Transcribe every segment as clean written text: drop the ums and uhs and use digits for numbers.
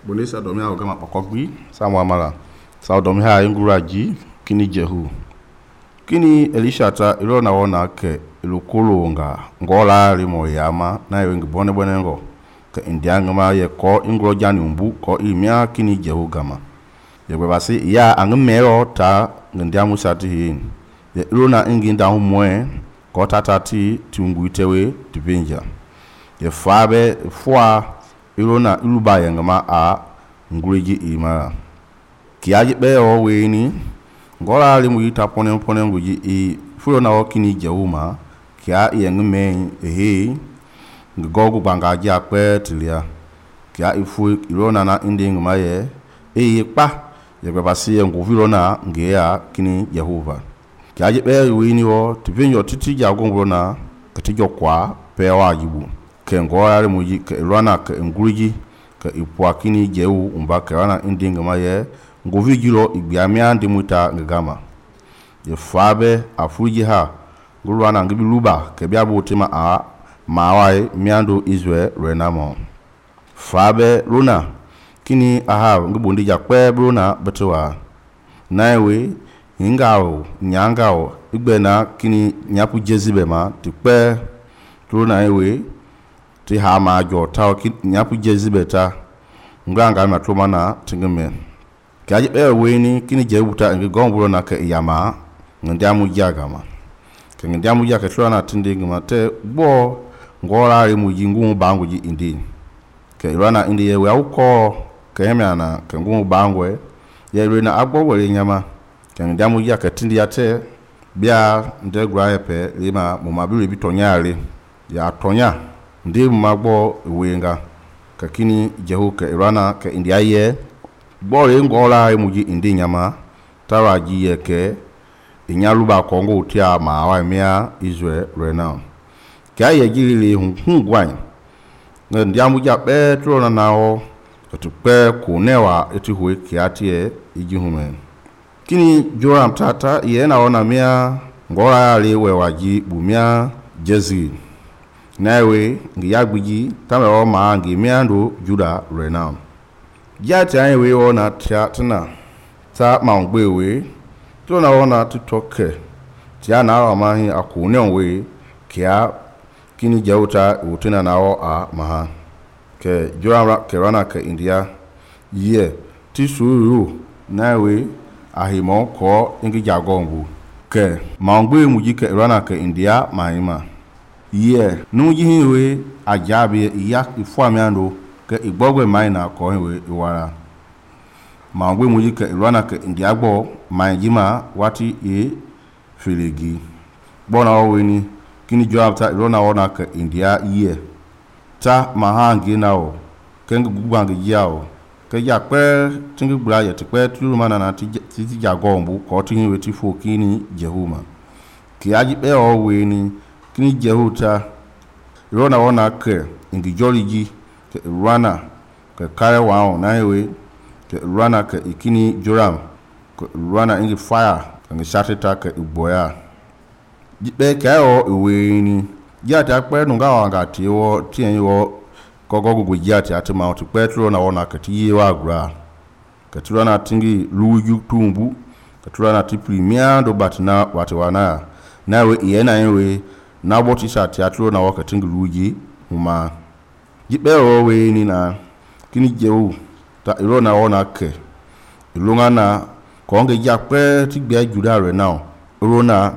Bonisa domi ha gama pokogbi samwa mala. Sa domi ha inguraji kini Jehu. Kini Elisha ta ilo na wona ke ilukulu ngola limo yama na yo ngibone bonengo ke indiangama ye ko ingro jani umbu ko imia kini Jehu gama. Ye basi ya angmero ta ngandiamu sati hin. Ye ilo na inginda humwe ko tatati tunguitewe tibenja. Ye fabe fwa ilo na iluba yangama a nguriji ima. Kiaji be o weni ngola limu yita pone nguji i fulo na okini Jehuma kia yengme ngogu bangaji akpe tilia kia ifu ilona na inding maye pa ye babasi nguvilo na ngeya kini Jehova kia je be weni wo tivinyo titi jagongo na katijo kwa pe wajibu ke ngola limu yi ke ilona ke nguriji ke ipwa kini Jehu umba ke wana inding maye nguvijilo igbiamia ndimuta ngama ye fabe afuji ha ngulwana ngibi luba ke biabu tema a mawai miando Israel renamo fabe luna kini aha ngibundi jakpe luna betwa naiwe ingao nyangao igbena kini nyapu Jezibe ma tikpe luna ewe ti ha ma jo ta nyapu Jezibe ta nganga matloma na tingeme kaje be weni kini Jehuta ngi gombulo na ke yama ngandiamu jagama ke ngandiamu jaka twana tindingi mate bo ngola rimu jingu bangu ji indi ke irana indi ye wa uko ke hemana ke ngungu bangwe ye rena agbo wele nyama ke ngandiamu jaka tindi yate bia ndegra yepe lima mumabiru bitonyale ya tonya ndi magbo wenga kakini Jehu ke irana ke indi aye bore ngola emuji indi nyama taraji yeke inyaluba kongo utia mawa mia Israel renown kya yejili hungwan ndiamu ja petro na nawo tupe kunewa etihuwe kiatie ijihume kini Joram tata ye naona mia ngola ale wewaji bumia Jezi nawe ngiyagbiji tamewa ma ngimiando Juda renown jati anyewe ona tna ta maungbewe to na ona tutoke tia na amahi akune onwe kia kini Jehuta utena nawo a maha ke Joram kerana ke India ye tisuru nawe ahimo ko ingi jagongu ke maungbe muji ke rana ke India mahima ye nuji hiwe ajabe iya ifuamiando ke igbogwe maina ko hewe iwara ma ngwe muji ke irwana ke indiagbo ma jima wati filigi bona oweni kini Joab ta irona ona ke India ye ta mahangi nawo ke ngugbangi yao ke yakpe tingi gbura ye tikpe tulumana na titi jagombu ko tingi weti fo kini Jehuma ki aji be oweni kini Jehuta irona ona ke ingijoliji ke rana ke kare wao na hewe ke rana ke ikini Joram ke rana ingi fire ngi shateta ke iboya jibe kayo iweni jati akpe nunga wanga tiwo tienyo kogogu jati atima uti petro na wona ke tiwa gra ke turana tingi luju tumbu ke turana tiprimia do batna watiwana nawe yena yewe na boti shati atlo na wakati tingi luji huma jibe owe ni na kini Jehu ta irona ona ke ilunga na konge jakpe tigbe Juda re now irona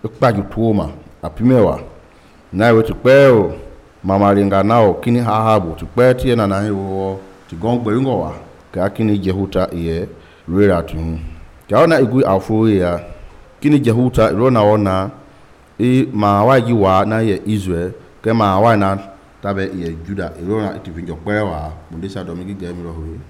ikpaju tuoma apimewa na we tikpe mama ringa nao kini hahabu tikpe tiena na hiwo tigongbe ngowa ka kini Jehuta ye rera tu kaona igu afu ya kini Jehuta irona ona ma waji wa na ye Israel ke ma wa na tabe ye Juda irona itivinjo kwewa bundisa domigi gemiro hui